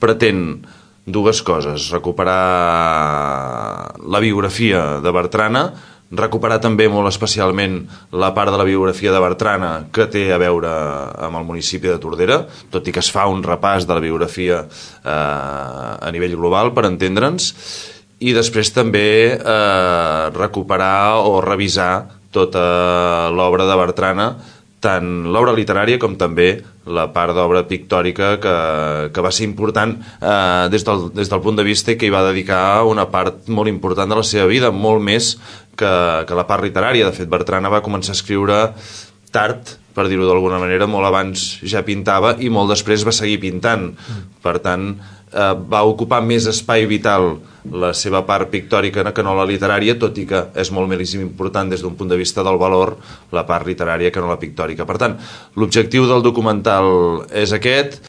pretén dues coses: recuperar la biografia de Bertrana, recuperar també molt especialment la part de la biografia de Bertrana que té a veure amb el municipi de Tordera, tot i que es fa un repàs de la biografia a nivell global, per entendre'ns, i després també recuperar o revisar tota l'obra de Bertrana, tant l'obra literària com també la part d'obra pictòrica que va ser important des del punt de vista i que hi va dedicar una part molt important de la seva vida, molt més que la part literària. De fet, Bertrana va començar a escriure tard, per dir-ho d'alguna manera, molt abans ja pintava i molt després va seguir pintant. Per tant, va ocupar més espai vital la seva part pictòrica que no la literària, tot i que és molt més important des d'un punt de vista del valor la part literària que no la pictòrica. Per tant, l'objectiu del documental és aquest.